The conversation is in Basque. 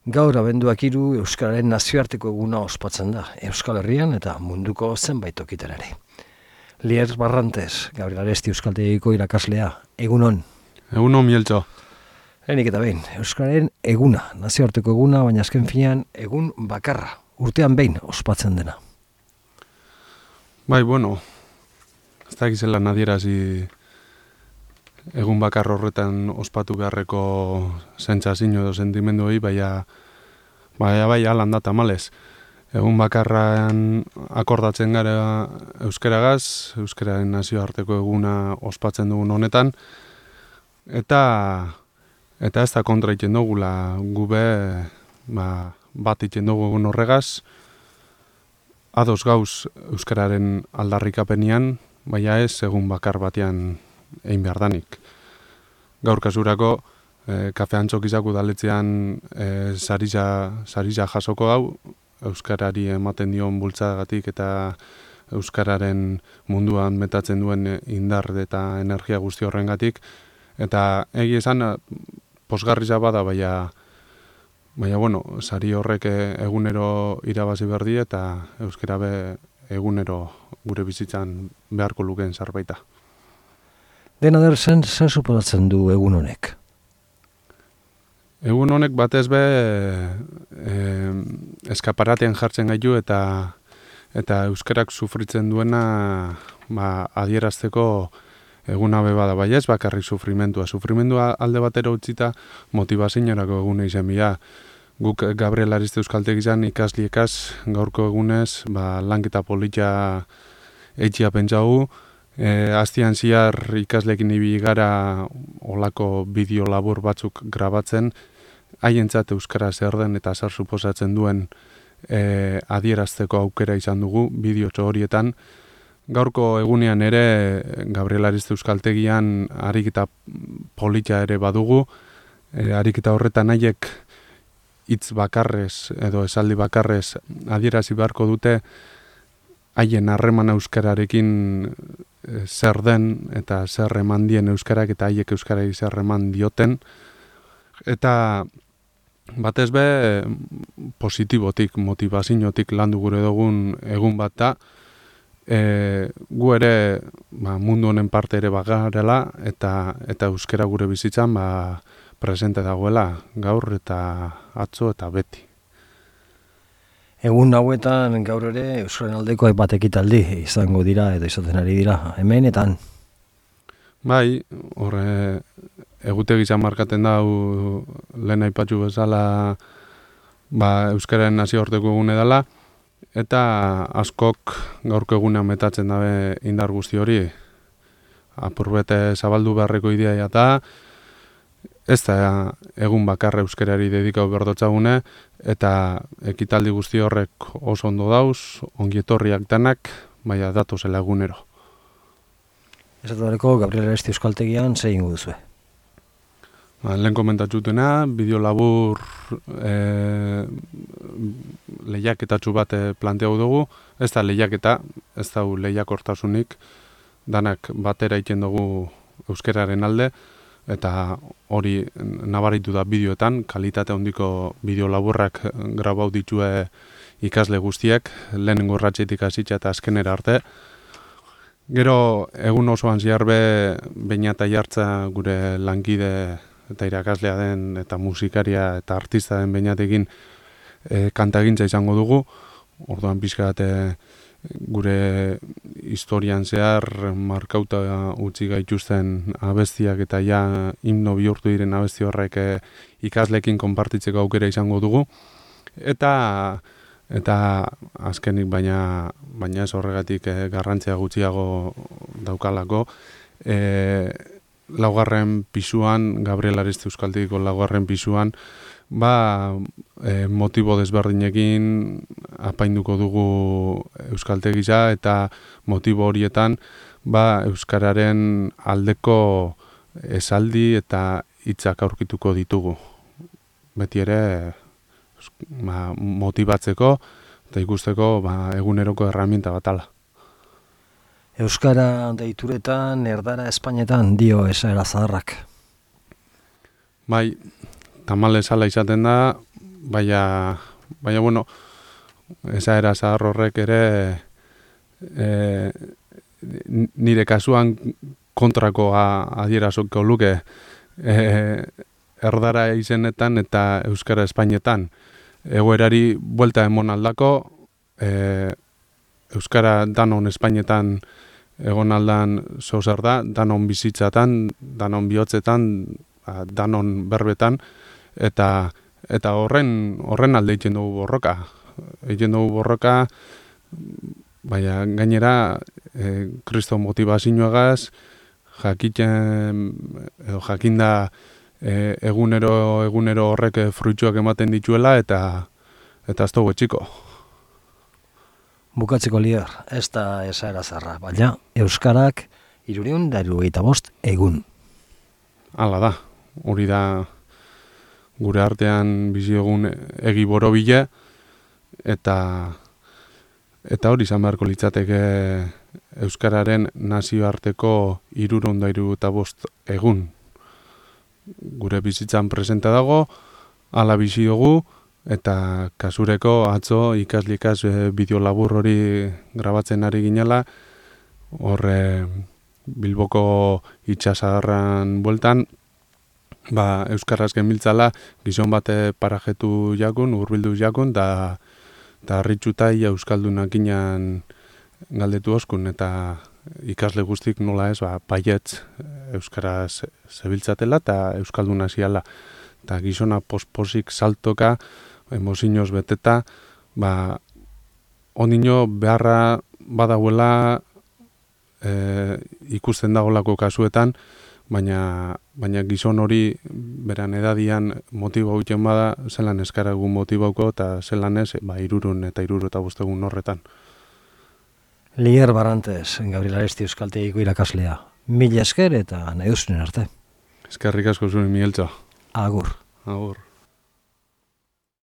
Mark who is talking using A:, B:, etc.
A: Gaur abenduak 3 Euskararen nazioarteko eguna ospatzen da, Euskal Herrian eta munduko zenbait tokitan ere. Lier Barrantes, Gabriel Aresti Euskaltegiko irakaslea, egunon.
B: Egunon, Mieltxo.
A: Lehenik eta behin, Euskararen eguna, nazioarteko eguna, baina azken finean egun bakarra, urtean behin ospatzen dena.
B: Bai, bueno, ez da gizela nadierazi egun bakar horretan ospatu beharreko sentsazio edo sentimenduei, bai alan da tamalez. Egun bakarran akordatzen gara euskaragaz, euskararen nazioarteko eguna ospatzen dugun honetan, eta ez da kontra iten dugula gube bat iten dugu egun horregaz, ados gauz euskararen aldarrikapenian, baina ez egun bakar batean egin behar danik. Gaur kasurako, kafe antxokizak udaletzean sarija jasoko hau, euskarari ematen dion bultzagatik eta euskararen munduan metatzen duen indar eta energia guzti horrengatik. Eta egia esan, posgarria bada, baina bueno, sari horrek egunero irabazi berdi eta euskara egunero gure bizitzan beharko lukeen zerbaita.
A: Dena der zer suposatzen du egun honek?
B: Egun honek batez eskaparatean jartzen gaitu eta euskarak sufritzen duena adierazteko eguna bada, bai ez bakarrik sufrimendua. Sufrimendua alde batera utzita motibazinorako egune izan bila. Guk Gabriel Aresti Euskaltegizan ikasliekaz gaurko egunez lanketa polita eitxia pentsaugu. Aztian ziar ikaslekin ibili gara olako bideo labur batzuk grabatzen, haientzat euskara zer den eta zer suposatzen duen adierazteko aukera izan dugu bideotxo horietan. Gaurko egunean ere Gabriel Aresti Euskaltegian ariketa polita ere badugu, ariketa horretan haiek hitz bakarrez edo esaldi bakarrez adierazi beharko dute haien harreman euskararekin zer den eta zer eman dien euskarak eta haiek euskarari zer eman dioten. Eta batez positibotik, motivaziotik landu gure dugun egun bat da. Gu ere mundu honen parte ere bagarela eta euskara gure bizitzan presente dagoela gaur eta atzo eta beti.
A: Egun hauetan gaur ere Euskararen aldeko hainbat ekitaldi izango dira edo izaten ari dira, hemenetan.
B: Bai, horre egutegia markatzen da lehen aipatu bezala Euskararen nazioarteko egune dela, eta askok gaurko egunean metatzen dabe indar guzti hori. Apurbete zabaldu beharreko idea eta ez da egun bakarra euskarari dedikau berdotzagune, eta ekitaldi guzti horrek oso ondo dauz, ongietorriak danak, baina datozela egunero.
A: Esatareko Gabriel Aresti Euskaltegian zein duzue?
B: Lehen komentatxutena, bideo labur lehiaketatxu bat planteau dugu, ez da lehiaketa, ez da lehiakortasunik, danak batera iten dugu euskararen alde, eta hori nabaritu da bideoetan, kalitate handiko bideo laburrak grabau ditue ikasle guztiak, lehenengo urratxetik hasitza eta azkenera arte. Gero egun osoan ziarbe baina eta jartza gure lankide eta irakaslea den eta musikaria eta artista den bainatekin kantagintza izango dugu. Orduan pixkat gure historian zehar markauta utzi gaituzten abestiak eta ja himno bihurtu diren abesti horrek ikaslekin konpartitzeko aukera izango dugu. Eta azkenik baina ez horregatik garrantzia gutxiago daukalako. Laugarren pisuan, Gabriel Aresti Euskaltegiko laugarren pisuan, motibo desberdinekin apainduko dugu Euskaltegia eta motibo horietan euskararen aldeko esaldi eta hitzak aurkituko ditugu. Beti ere motibatzeko eta ikusteko eguneroko erraminta batala.
A: Euskara deituretan, erdara Espainetan dio esaera zaharrak.
B: Bai, tamalez ala izaten da, baina bueno, esaera zahar horrek ere nire kasuan kontrakoa adierazoko luke erdara izenetan eta euskara espainetan. Egoerari buelta emon aldako, euskara danon espainetan egon aldan zozer da, danon bizitzatan, danon bihotzetan, danon berbetan, eta horren alde egiten dugu borroka. Egiten dugu borroka, baina gainera, kriston motivazioagaz, jakinda egunero horrek fruitsuak ematen dituela, eta ez dugu etxiko.
A: Bukatzeko Lier, ez da esaera zarra, baina euskarak 375 egun.
B: Hala da, hori da gure artean bizi egun egi borobile, eta hori izan beharko litzateke euskararen nazioarteko 375 egun. Gure bizitzan presente dago, hala bizi dugu, eta kasureko atzo ikaslikaz bideo labur hori grabatzen ari ginela, horre Bilboko itxasadarran bueltan, euskaraz genbiltzala gizon bate parajetu jakun, urbildu jakun, da harritxuta ia euskaldunak inan galdetu oskun, eta ikasle guztik nola ez, baietz euskaraz zebiltzatela eta euskalduna ziala. Eta gizona posposik saltoka, emozinoz beteta, ondino beharra badauela ikusten dagolako kasuetan, baina gizon hori beran edadian motibo egiten bada, zelan eskaragun motibauko eta zelan ez, 375 horretan.
A: Lier Barrantes, Gabriel Aresti Euskaltegiko irakaslea. Mila esker eta nahi duzunen arte.
B: Eskerrik asko zuen, Migueltxo.
A: Agur.
B: Agur.